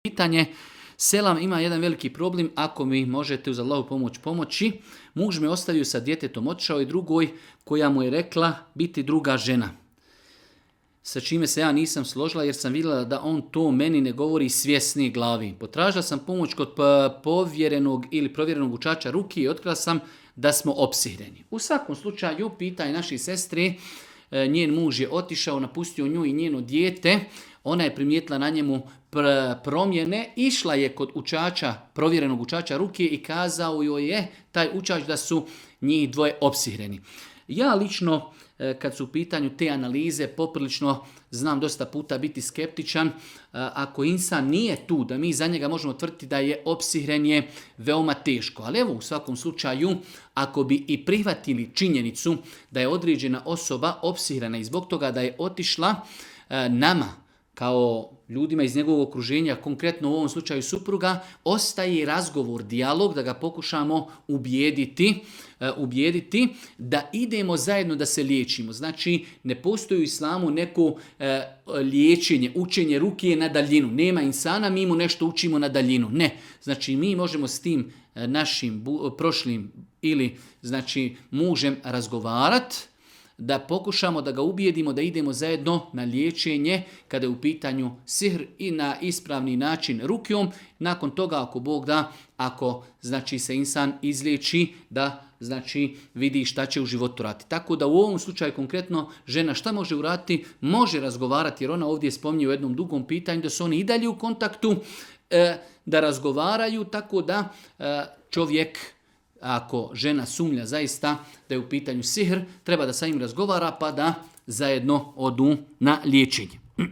Pitanje, selam, ima jedan veliki problem, ako mi možete uz Allahu pomoći. Muž me ostavio sa djetetom, otišao i drugoj koja mu je rekla biti druga žena. Sa čime se ja nisam složila jer sam vidjela da on to meni ne govori svjesni glavi. Potražila sam pomoć kod povjerenog ili provjerenog učača ruki i otkrila sam da smo opsihreni. U svakom slučaju, pitaj naši sestri, njen muž je otišao, napustio nju i njeno dijete, ona je primijetila na njemu promjene, išla je kod učača, provjerenog učača ruke i kazao joj je taj učač da su njih dvoje opsihreni. Ja lično, kad su u pitanju te analize, poprilično znam dosta puta biti skeptičan. Ako insan nije tu, da mi za njega možemo tvrditi da je opsihren, je veoma teško. Ali evo, u svakom slučaju, ako bi i prihvatili činjenicu da je određena osoba opsihrena i zbog toga da je otišla, nama, kao ljudima iz njegovog okruženja, konkretno u ovom slučaju supruga, ostaje razgovor, dijalog, da ga pokušamo ubijediti da idemo zajedno da se liječimo. Znači, ne postoji u islamu neko liječenje, učenje ruke na daljinu. Nema insana, mi mu nešto učimo na daljinu. Ne. Znači, mi možemo s tim našim prošlim ili znači mužem razgovarati, da pokušamo da ga ubijedimo da idemo zajedno na liječenje kada je u pitanju sihr i na ispravni način rukijom. Nakon toga, ako Bog da, ako znači se insan izliječi, da znači vidi šta će u životu raditi. Tako da u ovom slučaju konkretno žena šta može uraditi? Može razgovarati, jer ona ovdje spominje u jednom dugom pitanju da su oni i dalje u kontaktu, da razgovaraju, tako da čovjek, ako žena sumnja zaista da je u pitanju sihr, treba da sa njim razgovara pa da zajedno odu na liječenje.